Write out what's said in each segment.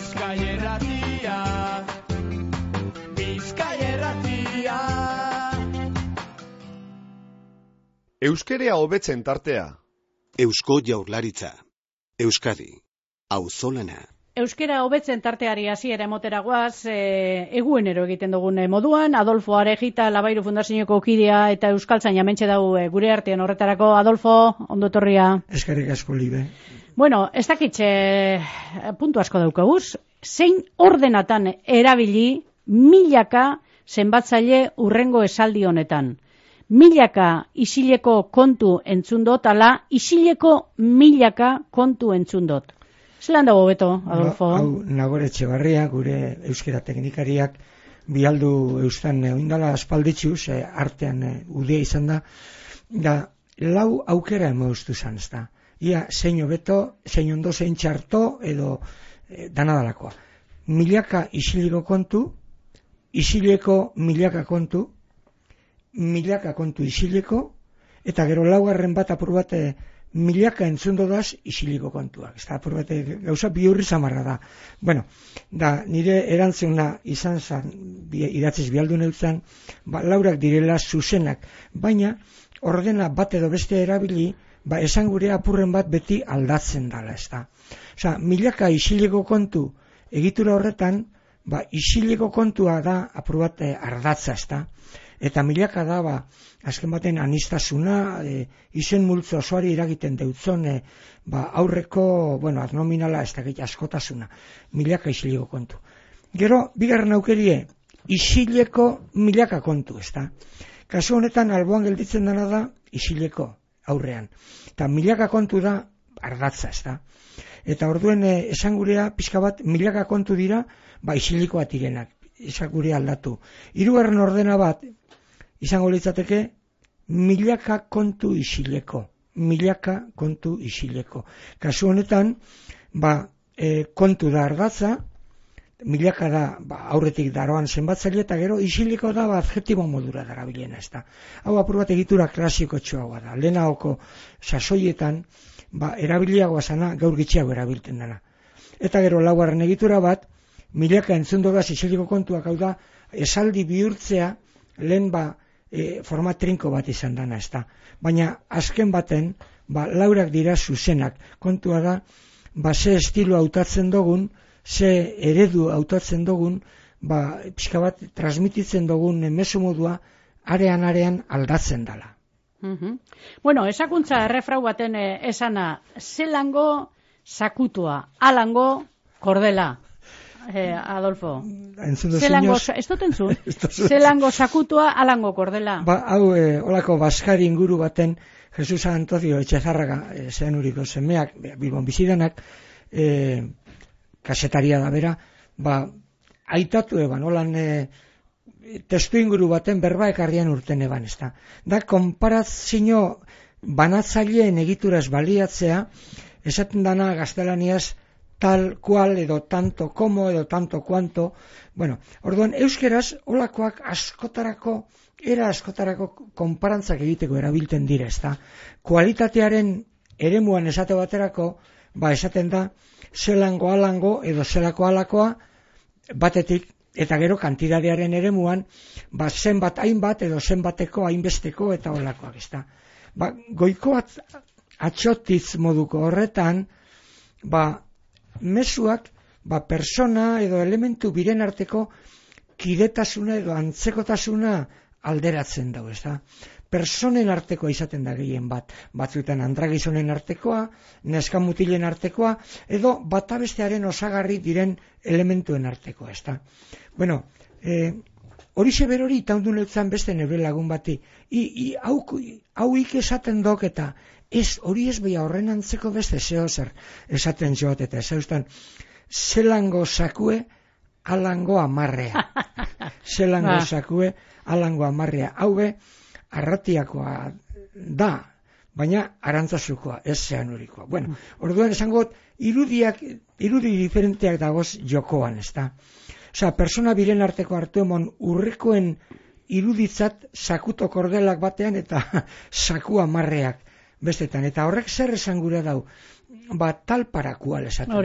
Bizkaia Irratia, Bizkaia Irratia. Euskerea hobetzen tartea. Eusko Jaurlaritza. Euskadi. Auzolana. Euskera hobetzen tarteari hasiera emotera goaz, eguenero egiten dugun moduan, Adolfo Arejita, Labairu Fundazioko kidea eta Euskaltzaina hementxe dau gure artean horretarako. Adolfo, ondo etorria. Eskerrik asko, Libe. Bueno, ez dakitxe puntu asko daukaguz, zein ordenatan erabili milaka zenbatzaile urrengo esaldi honetan. Milaka isileko kontu entzundot, ala isileko milaka kontu entzundot. Zelan dago beto, Adolfo? Hau Nagore Etxebarria, gure euskera teknikariak, bialdu eustan oindala aspalditxuz, artean udea izan da lau aukera emoztu zan, ez da. Ia, zein hobeto, zein ondo, zein txarto, edo danadalakoa. Milaka isileko kontu, isileko milaka kontu isileko, eta gero laugarren bat apur bat milaka entzundo daz isiliko kontuak. Ez da, apur bat gauza bihurri zamarra da. Bueno, da, nire erantzuna izan zan, idatziz bialdu neutzen, laurak direla zuzenak, baina ordena bat edo beste erabili, esan gure apurren bat beti aldatzen dala, ez da. Osa, milaka isiliko kontu egitura horretan, isiliko kontua da apur bat ardatza, ez da. Eta milaka da, azken baten anistasuna, izen multzo osoari iragiten deutzon, aurreko, adnominala, ez da askotasuna, milaka isiliko kontu. Gero, bigarren aukerie, isileko milaka kontu, ez da. Kasu honetan, alboan gelditzen dena da, isileko aurrean. Eta milaka kontu da, ardatza, ez da. Eta orduen, esan gurea, pixka bat, milaka kontu dira, isilikoa direnak, esan gurea aldatu. Hirugarren ordena bat, izango litzateke, milaka kontu isileko. Kasu honetan, kontu da ardatza, milaka da aurretik daroan zenbatzaile, eta gero isileko da adjektibo modura darabilena, ez da. Hau apur bat egitura klasiko txoagoa da. Lehenagoko sasoietan, erabiliagoa zana, gaur gitxiago erabilten dena. Eta gero laugarren egitura bat, milaka entzundogaz isiliko kontuak, hau da, esaldi bihurtzea, lehen forma trinko bat izan dana, ez da. Baina azken baten, laurak dira zuzenak. Kontua da, ze estilo hautatzen dugun, ze eredu hautatzen dugun, pixka bat transmititzen dugun mezu modua, arean aldatzen dala. Bueno, esakuntza errefrau baten esana, zelango sakutua, alango kordela. Adolfo, ez dut entzun, zelango sakutua, alango kordela. Hau, olako baskari inguru baten, Jesus Antonio Etxezarraga, zean uriko semeak, Bilbon bizidanak, kasetaria da bera, aitatu eban, holan testu inguru baten berba ekarrian urten eban, ez da. Da, konparazio banatzaileen egituraz baliatzea, esaten dana gaztelaniaz, tal cual, edo tanto como, edo tanto cuanto. Bueno, orduan, euskeraz, olakoak askotarako konparantzak egiteko erabilten dira, ez da. Kualitatearen eremuan esate baterako, esaten da, zelango alango, edo zelako alakoa, batetik, eta gero kantidadearen eremuan, zenbat hainbat, edo zenbateko hainbesteko, eta olakoak, ez da. Goiko atxotiz moduko horretan, mezuak, persona edo elementu biren arteko kidetasuna edo antzekotasuna alderatzen dago, ez da. Personen artekoa izaten da gehien batzuetan andragizonen artekoa, neskamutilen artekoa, edo batabestearen osagarri diren elementuen artekoa, ez da. Bueno, horixe berori itaundun eutzan beste neure lagun bati, hau esaten dok eta, hori ez beha horren antzeko beste zeo zer esaten joat eta ezauztan zelango sakue alango amarrea. Zelango sakue alango amarrea. Hau arratiakoa da, baina arantzazukoa, ez zean horikoa. Bueno, orduan esango irudi diferenteak dagoz jokoan, ez da. Osa, persona biren arteko hartu emon urrekoen iruditzat sakuto kordelak batean eta saku amarreak. bestetan. Eta horrek zer esan gura dau? Ba, talparakual esaten da.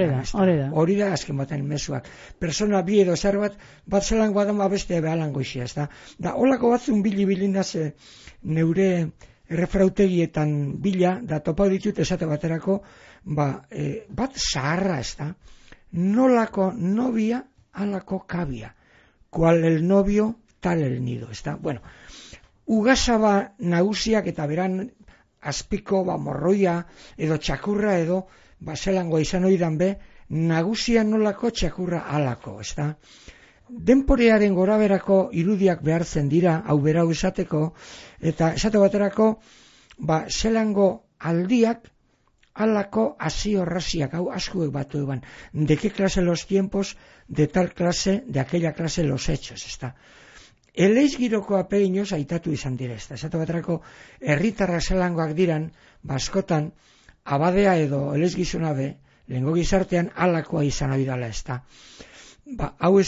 Hori da, azken baten mezuak. Persona bi edo zer bat zelango badan beste behalango isia, ez da. Da, holako batzun bilinaz neure errefrautegietan bila, da topa ditut esate baterako, bat zaharra, ez da. Nolako nobia, alako kabia. Kual el novio, tal el nido, ez da. Bueno, ugasaba nagusiak eta beran azpiko morroia edo txakurra edo zelangoa izan oidan be, nagusia nolako txakurra alako, ez da. Denporearen goraberako irudiak behartzen dira, hau berau esateko, eta esate baterako, zelango aldiak alako hasi-horraziak, hau askuek batu eban, de qué clase los tiempos, de tal clase, de aquella clase los hechos, ez da. Eleiz giroko apeinoz aitatu izan dira, ez da. Esate baterako, herritarra zelangoak diran, askotan, abadea edo eleiz gizuna be, lehengo gizartean alakoa izan abidala, ez da. Hau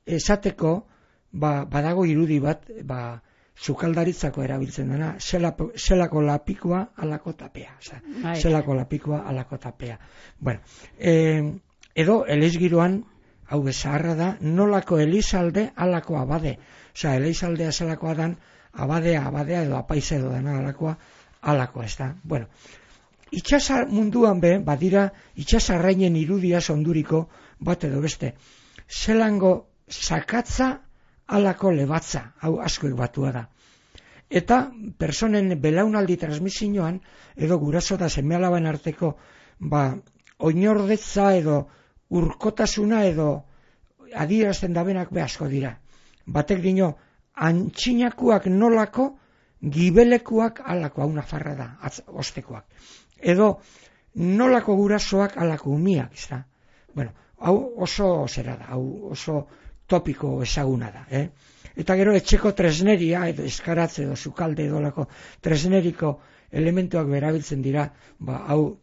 esateko, badago irudi bat, sukaldaritzako erabiltzen dena, zelako lapikoa alako tapea. Zelako lapikoa alako tapea. Bueno, edo eleiz giroan, hau bezaharra da, nolako elizalde alako abade. Osea, elizaldea zelakoa dan, abadea edo apaiza edo dena alakoa, ez da. Bueno, itxasar munduan be, badira, itxasarrainen irudia onduriko bat edo beste. Zelango sakatza alako lebatza, hau askoek batua da. Eta personen belaunaldi transmisioan, edo guraso da seme-alaben arteko, oinordetza edo urkotasuna edo adierazten dabenak be asko dira. Batek dino, antxinakuak nolako, gibelekuak alako, hau nafarra da, ostekoak. Edo nolako gurasoak alako umiak, ez da. Bueno, hau oso zera da, hau oso topiko ezaguna da. Eta gero etxeko tresneria, edo eskaratze edo sukalde edo lako tresneriko elementuak berabiltzen dira, hau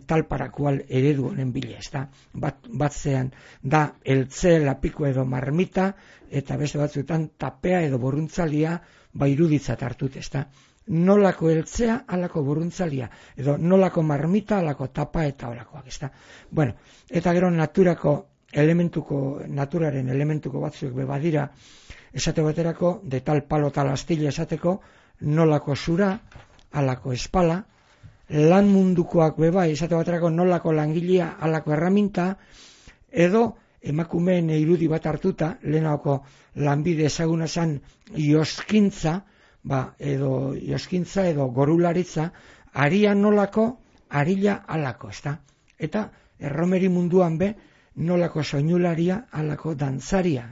talparakual eredu honen bile, ez da. Batzean da eltze, lapiko edo marmita, eta beste batzuetan tapea edo boruntzalia iruditzat hartut, ez da. Nolako eltzea alako boruntzalia, edo nolako marmita alako tapa eta olakoak, ez da. Bueno, eta gero naturaren elementuko batzuek bebadira, esate baterako, de tal palo tal astilla esateko, nolako zura, alako espala, lan mundukoak beba, esate baterako nolako langilea, alako erraminta, edo emakumeen irudi bat hartuta, lehenako lanbide ezaguna zan joskintza, edo gorularitza, aria nolako, arila alako, ezta? Eta erromeri munduan be, nolako soinularia alako dantzaria,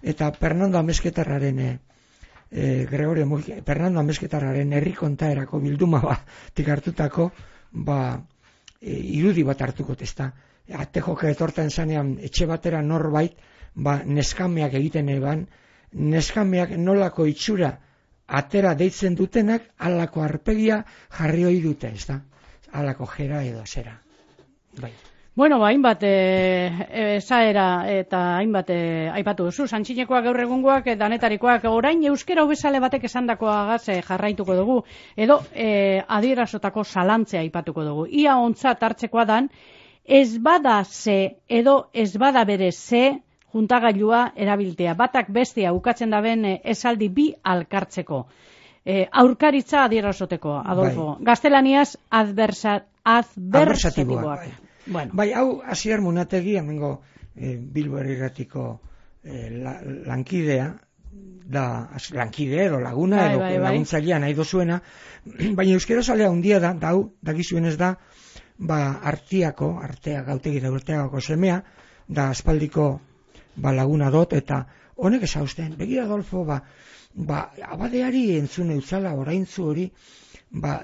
Eta Fernando Amezketarraren Fernando Amezketarraren herri kontaerako bilduma batik hartutako irudi bat hartuko, ezta. Atejoka etortan zanean etxe batera norbait, neskameak egiten eban, neskameak nolako itxura atera deitzen dutenak, alako arpegia jarri hoi dute, ezta. Alako jera edo zera. Bai. Bueno, hainbat esaera eta hainbat aipatu duzu, santxinekoak gaur egungoak, danetarikoak, orain euskera hobezale batek esandakoagaz jarraituko dugu, edo adierazotako zalantzea aipatuko dugu. Ia ontzat hartzekoa dan, ez bada ze edo ez bada bere ze juntagailua erabiltea. Batak bestia ukatzen daben esaldi bi alkartzeko. Aurkaritza adierazoteko, Adolfo. Bai. Gaztelaniaz adversatiboak. Bueno. Bai, hau Asier Munategi, hemengo Bilbo Herriratiko lankidea, lankide edo laguna edo laguntzailea nahi dozuena, baina euskera zalea handia da, hau, dakizuen ez da, artea gautegi da urteagako semea, da aspaldiko laguna dot, eta honek esausten, begira Adolfo, abadeari entzune utzala oraintzu hori,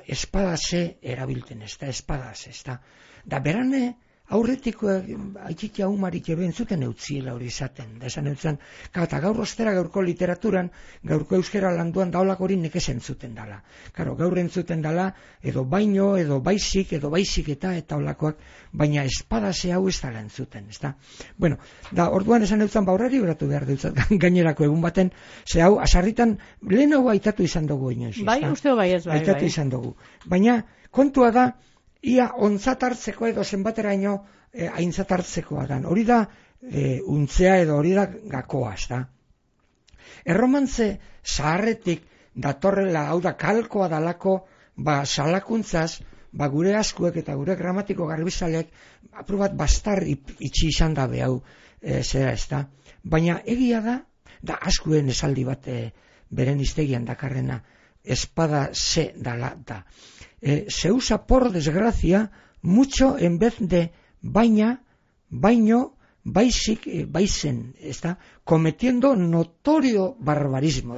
espadase erabilten ez da, espadaz ez da. Da berane aurretikoak aitzitia humarik eben zuten eutziela hori izaten. Da esan eutzen, eta gaur ostera gaurko literaturan, gaurko euskera landuan daulak hori nekez entzuten dala. Karo, gaur entzuten dala, edo baino, edo baizik eta olakoak, baina espadase hau ez dala entzuten, ezta? Bueno, da orduan esan eutzen baurrari uratu behar dutzat, gainerako egun baten, ze hau, asarritan, lehenago aitatu izan dugu inoiz, ezta? Bai, usteo bai ez, bai. Aitatu izan dugu. Baina, kontua da, ia ontzatartzeko edo zenbateraino aintzatartzekoa dan. Hori da untzea edo hori da gakoa, ezta? Erromantze zaharretik datorrela, hau da kalkoa dalako, salakuntzaz, gure askuek eta gure gramatiko garbizalek apur bat bastar itxi izan da behau zera, ezta? Baina egia da askuen esaldi bat beren iztegian dakarrena, espada se dala da. Se usa por desgracia mucho en vez de baino, baizen, está cometiendo notorio barbarismo.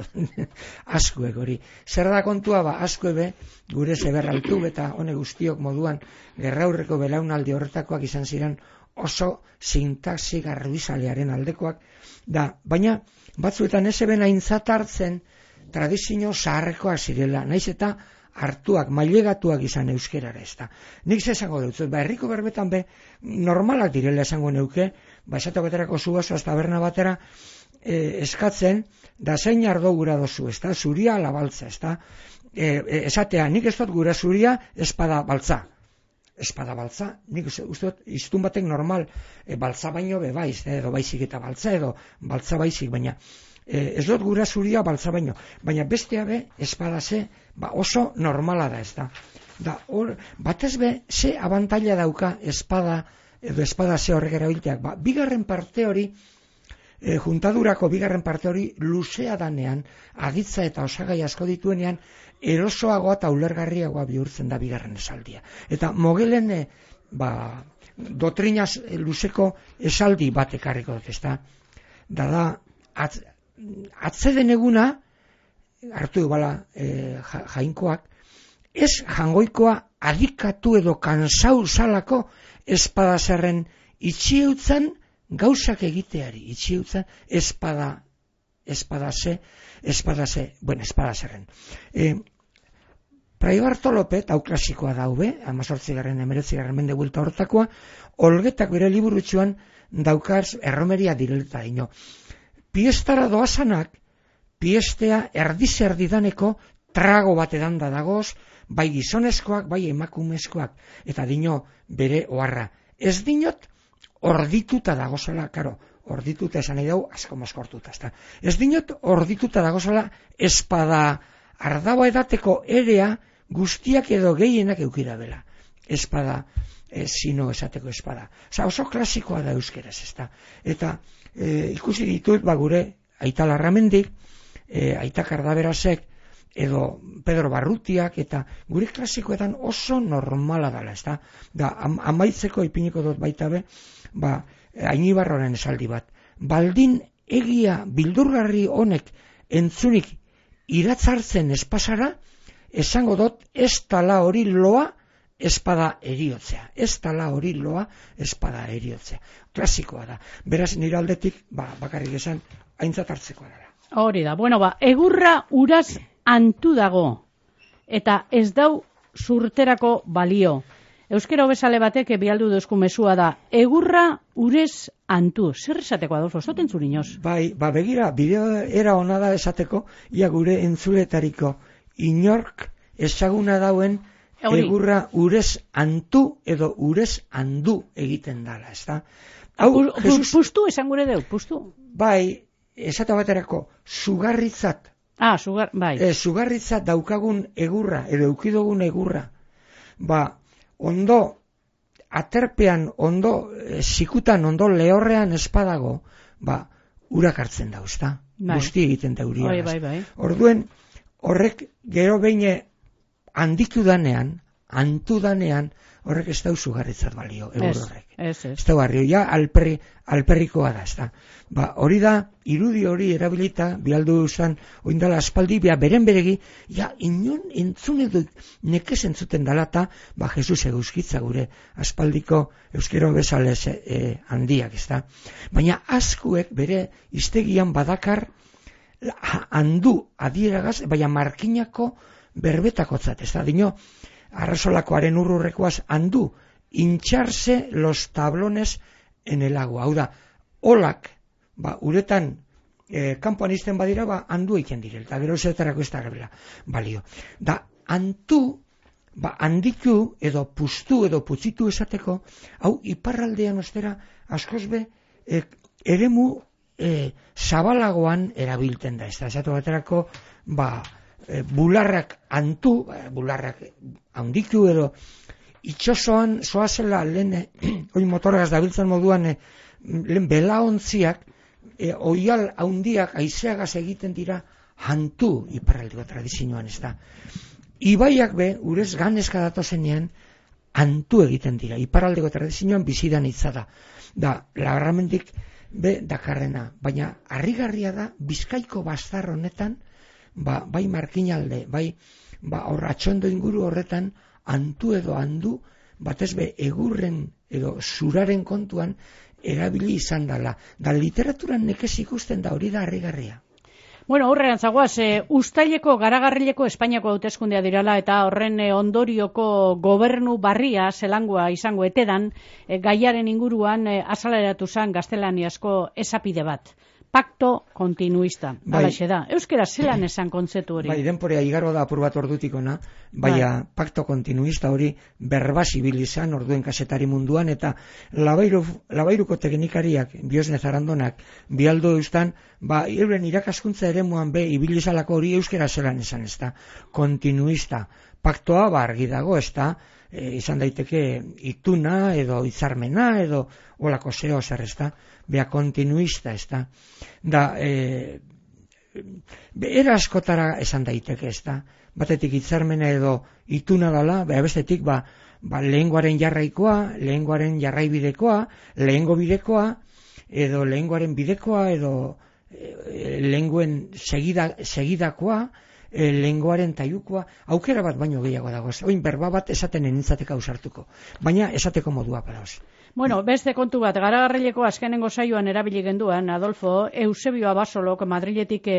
Askuek hori. Zer da kontua askuebe gure zeberraltu eta hone guztiok moduan gerraurreko belaunaldi horretakoak izan ziren oso sintaxi garbizalearen aldekoak da, baina batzuetan ez eben aintzat hartzen tradizio zaharrekoak zirela, naiz eta hartuak, mailegatuak izan euskerara, ezta. Nik esango dut, herriko berbetan normalak direla esango neuke, esateko beterako zuazo taberna batera eskatzen, da zein ardo gura dozu, ezta, zuria alabaltza, ezta. Esatea, nik ez dut gura zuria espada baltza. Espada baltza, nik uste dut, iztun batek normal, baltza baino bebaiz, edo baizik eta baltza, edo baltza baizik, baina ez dut gura zuria baltza baino, baina bestea espada ze, oso normala da, ez da. Batez ze abantaila dauka espada, edo espada ze horrek erabilteak. Bigarren parte hori, juntadurako bigarren parte hori, luzea danean, aditza eta osagai asko dituenean, erosoagoa eta ulergarriagoa bihurtzen da bigarren esaldia. Eta mogelen, dotrinaz luzeko esaldi bat ekarriko dut, ez da. Da, atzeden eguna, hartu bala jainkoak, ez jangoikoa adikatu edo kansau salako espadazerren itxieutzen gauzak egiteari, itxieutzen espadazerren. Fray Bartolope, hau klasikoa daube, 18. mende buelta hortakoa, Olgetak bere liburutxuan daukaz erromeria direlta dino. Piestara doazanak, piestea erdi-erdidaneko trago bat edanda dagoz, bai gizonezkoak, bai emakumezkoak, eta dino bere oharra. Ez dinot, ordituta dagozala, karo, ordituta esan nahi dugu, asko mozkortuta, ezta. Ez dinot, ordituta dagozala, espada ardaba edateko erea guztiak edo gehienak eukira bela. Espada, zino esateko espada. Oso klasikoa da euskeraz, ezta. Eta ikusi ditut, gure Aita Larramendik, Aita Kardaberasek, edo Pedro Barrutiak, eta gure klasikoetan oso normala dela, ezta. Amaitzeko ipiniko dut baita Ainibarroren esaldi bat. Baldin egia bildurgarri honek entzunik iratzartzen espasara, esango dut ez tala hori loa espada eriotzea. Ez tala hori loa espada eriotzea. Klasikoa da. Beraz, nire aldetik, bakarrik esan, aintzat hartzekoa dara. Hori da. Bueno, egurra uraz antu dago. Eta ez dau zurterako balio. Euskera hobesale batek bialdu dozku mesua da. Egurra urez antu. Zer esateko Adolfo? Zoten zurinoz? Begira, bideo era ona da esateko, ia gure entzuletariko inork ezaguna dauen egurra urez antu edo urez andu egiten dala, ezta? Pustu esan gure deu, pustu? Esate baterako, sugarritzat. Sugarritzat daukagun egurra, edo eukidogun egurra. Ondo, aterpean, ondo, zikutan, ondo lehorrean espadago, urak hartzen da, ezta? Guzti egiten da uria. Orduen, horrek gero behin anditu danean, horrek ez dau zugarritzat balio, egur horrek. Ez. Ez da barrio, ja alperrikoa da, ez da. Hori da, irudi hori erabilita, bialdu zan, oindala aspaldi, beren beregi, inon entzun edo nekez entzuten dalata, Jesus eguzkitza gure aspaldiko euskero bezalez handiak, ez da. Baina askuek bere iztegian badakar handu adieragaz, baina markinako berbetakotzat, ez da. Dino, arrasolakoaren urrurrekoaz handu, hincharse los tablones en el agua. Hau da, olak, uretan kanpoan izten badira, handu egiten direl, eta gero zertarako ez da gabela balio. Da, handiku edo puztu edo putzitu esateko, hau iparraldean ostera askozbe eremu zabalagoan erabilten da. Ez da, esatu baterako, bularrak bularrak handiku edo itxosoan zoazela lehen motorgaz dabiltzen moduan lehen belaontziak oial handiak aizeagaz egiten dira hantu iparraldeko tradizioan, ez da. Ibaiak urez ganezka datozenean hantu egiten dira, iparraldeko tradizioan bizidan itzada. Da, lagarramendik dakarrena, baina harrigarria da Bizkaiko bastar honetan bai markinalde, bai horratxondo inguru horretan hantu edo handu, batez egurren edo zuraren kontuan erabili izan dela. Da literaturan nekez ikusten da hori da harrigarria. Bueno, horrean zagoaz, Uztaileko garagarrileko Espainiako hauteskundea dirala eta horren ondorioko gobernu barria zelangua izango etedan, gaiaren inguruan azaleratu zen gaztelaniazko esapide bat. Pacto continuista, alaxe da. Euskera zelan esan kontzeptu hori? Denporea igaro da apur bat ordutikona, pacto continuista hori berbazibil izan orduen kasetari munduan, eta labairuko teknikariak, Biosne Zarandonak, bialdo eustan, euren irakaskuntza eremuan ibilizalako hori euskera zelan esan, ez da. Continuista, paktoa argi dago, ez da, izan daiteke ituna edo hitzarmena edo olako zeo zer, ez da. Continuista, ez da. Da, era askotara esan daiteke, ez da. Batetik hitzarmena edo ituna dala, bestetik lehengoaren jarraikoa, lehengoaren jarraibidekoa, lehengo bidekoa, edo lehengoaren bidekoa, edo lehengoen segidakoa, lehengoaren taiukoa, aukera bat baino gehiago dago. Oin berba bat esaten enintzateka ausartuko, baina esateko modua paraoz. Bueno, beste kontu bat, garagarrileko azkenengo saioan erabili genduan, Adolfo, Eusebio Abasolok Madriletik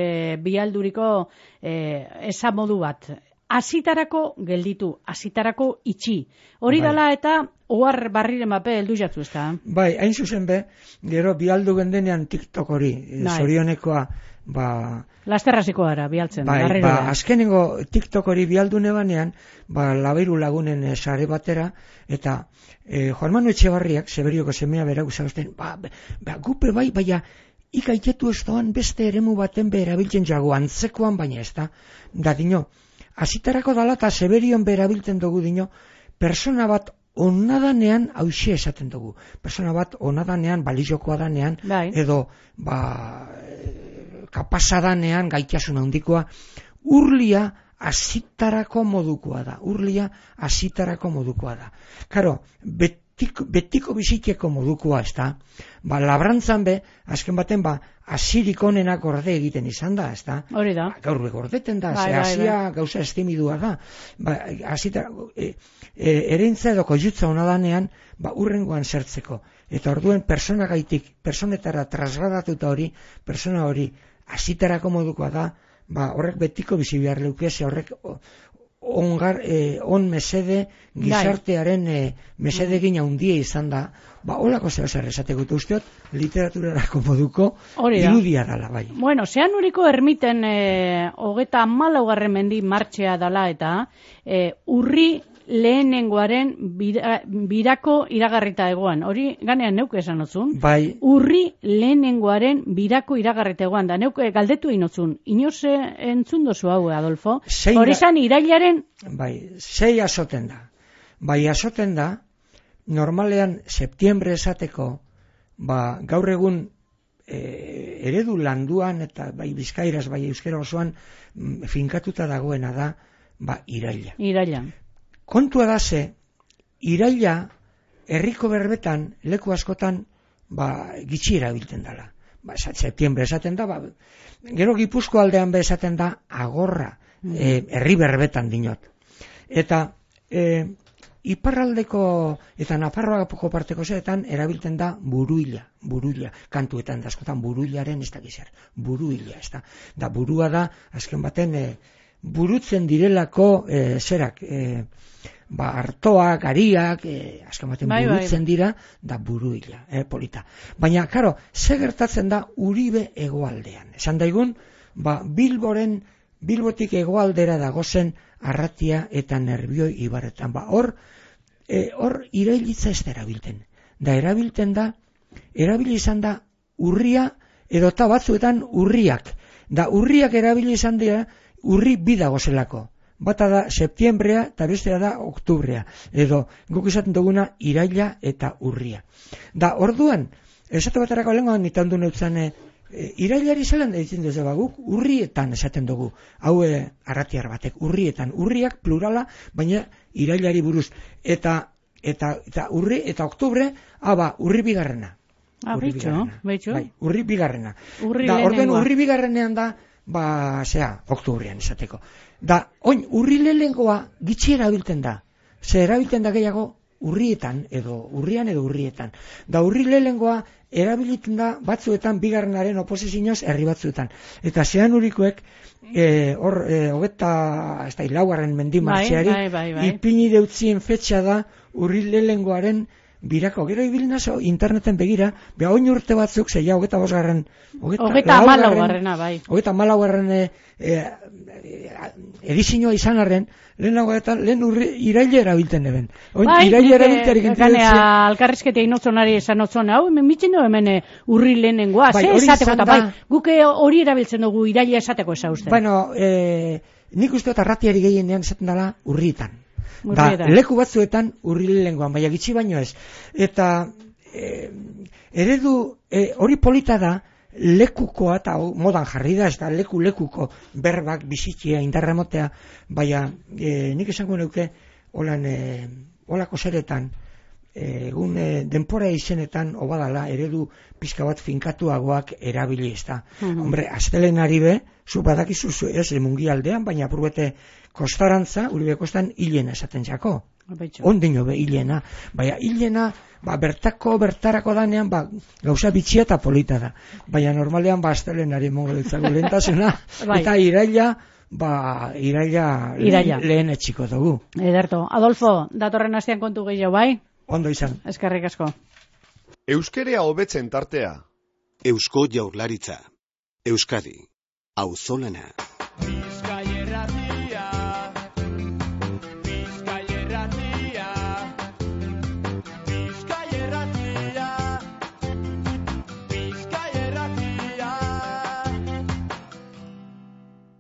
bialduriko esamodu bat. Azitarako gelditu, azitarako itxi. Hori dala eta ohar barriren mape heldu jatzu, ez da? Hain zuzen gero bialdu gendenean TikTok hori, zorionekoa, lasterraziko gara, bialtzen. Azkenengo TikTok hori bialdu nebanean, labairu lagunen sare batera, eta Juan Manu Etxebarriak, Seberioko semea bera guzausten, gupe baina ikaitetu ez doan beste eremu baten erabiltzen jago, antzekoan baina ez da. Da dino, azitarako dala eta Seberion berabiltzen dugu dino, persona bat onadanean hauxe esaten dugu. Persona bat onadanean, balizokoa danean, edo kapasadanean, gaitasun handikoa, urlia azitarako modukoa da. Urlia azitarako modukoa da. Karo, betiko biziteko modukoa, ez da. Labrantzan azken baten, azirik onenak gorde egiten izan da, ez da. Hori da. Gaur gordeten da, azia gauza estimidua da. Ereintza edo koiutza onadanean, urrengoan zertzeko. Eta orduen personetara trasladatuta hori, persona hori azitarako modukoa da, horrek betiko bizi behar leukese, horrek on mesede gizartearen mesedegin handia izan da, holako zeo zer esateko usteot, literaturarako moduko irudia dala, bai. Bueno, zean uriko ermiten 34. mendi martxea dala eta urri lehenengoaren birako iragarrita egoan. Hori ganean neuke esan otzun. Bai. Urri lehenengoaren birako iragarrita egoan. Da neuke galdetu inotzun. Inoze entzun dozu hau, Adolfo? Hori zan irailaren... Bai, 6 azoten da. Azoten da, normalean septiembre esateko, gaur egun eredu landuan eta bai bizkairaz, bai euskera osoan finkatuta dagoena da, iraila. Iraila. Kontua da ze, iraila herriko berbetan leku askotan gitxi erabiltzen dela. Septiembre esaten da, gero Gipuzko aldean be esaten da agorra, herri berbetan dinot. Eta iparraldeko eta Nafarroako parteko zeetan erabiltzen da buruila, kantuetan da askotan buruilaren ez da gizar, buruila, ez da. Da burua da, azken baten, burutzen direlako zerak, hartoak, ariak, azken baten burutzen dira, da buruila, polita. Baina, karo, ze gertatzen da Uribe hegoaldean. Esan daigun, Bilbotik hegoaldera dagozen Arratia eta Nerbioi ibarretan. Hor irailitza ez da erabilten. Erabili izan da urria, edota batzuetan urriak. Da urriak erabili izan dira, urri bi dagozelako. Bata da septiembrea eta bestea da oktubrea. Edo guk izaten duguna iraila eta urria. Da orduan, esate baterako lengoan nitan du neutzen irailari zelan da ditzen duzu guk urrietan esaten dugu. Hau arratiar batek, urrietan. Urriak plurala, baina irailari buruz. Eta urri eta oktubre, urri bigarrena. Beitxo. Urri bigarrena. Orduan urri bigarrenean da, oktubrean esateko. Da, urri lehengoa gitxi erabilten da. Ze erabilten da gehiago urrietan, edo urrietan. Da, urri lehengoa erabiliten da batzuetan bigarrenaren oposizioz herri batzuetan. Eta zean urikoek, laugarren mendimartxeari, ipini deutzien fetxa da urri lehengoaren birako. Gero ibilinazo interneten begira, oin urte batzuk, zeia 24. Edizioa izan arren, lehen iraile erabilten eben. Iraile erabiltearik alkarrizketea inotzonari esan otzon, hau, mitzen du hemen urri lehenengoa, ze esateko eta guke hori erabiltzen dugu iraile esateko esauzten. Bueno, nik uste dut Arratiari gehienean esaten dela urrietan. Da, leku batzuetan urri lehengoan, baina gitxi baino ez. Eta eredu hori polita da, lekukoa eta modan jarri da, ez da lekuko berbak bizitzia indarramotea, baina nik esango neuke holako zeretan, egun denpora izenetan obadala eredu pizka bat finkatuagoak erabili ez da. Hombre, astelenari be, zu badakizu ez mungialdean, baina apurbete kostarantza, Uribe kostan hilena esaten jako. Ondino be hilena. Baina hilena, bertarako danean, gauza bitxia eta polita da. Baina normalean, astelenari mongo ditzago lehentasuna, eta iraila lehen etxiko dugu. Ederto. Adolfo, datorren astean kontu gehiago, bai? Ondo izan. Eskerrik asko. Euskerea hobetzen tartea. Eusko Jaurlaritza. Euskadi. Auzolana.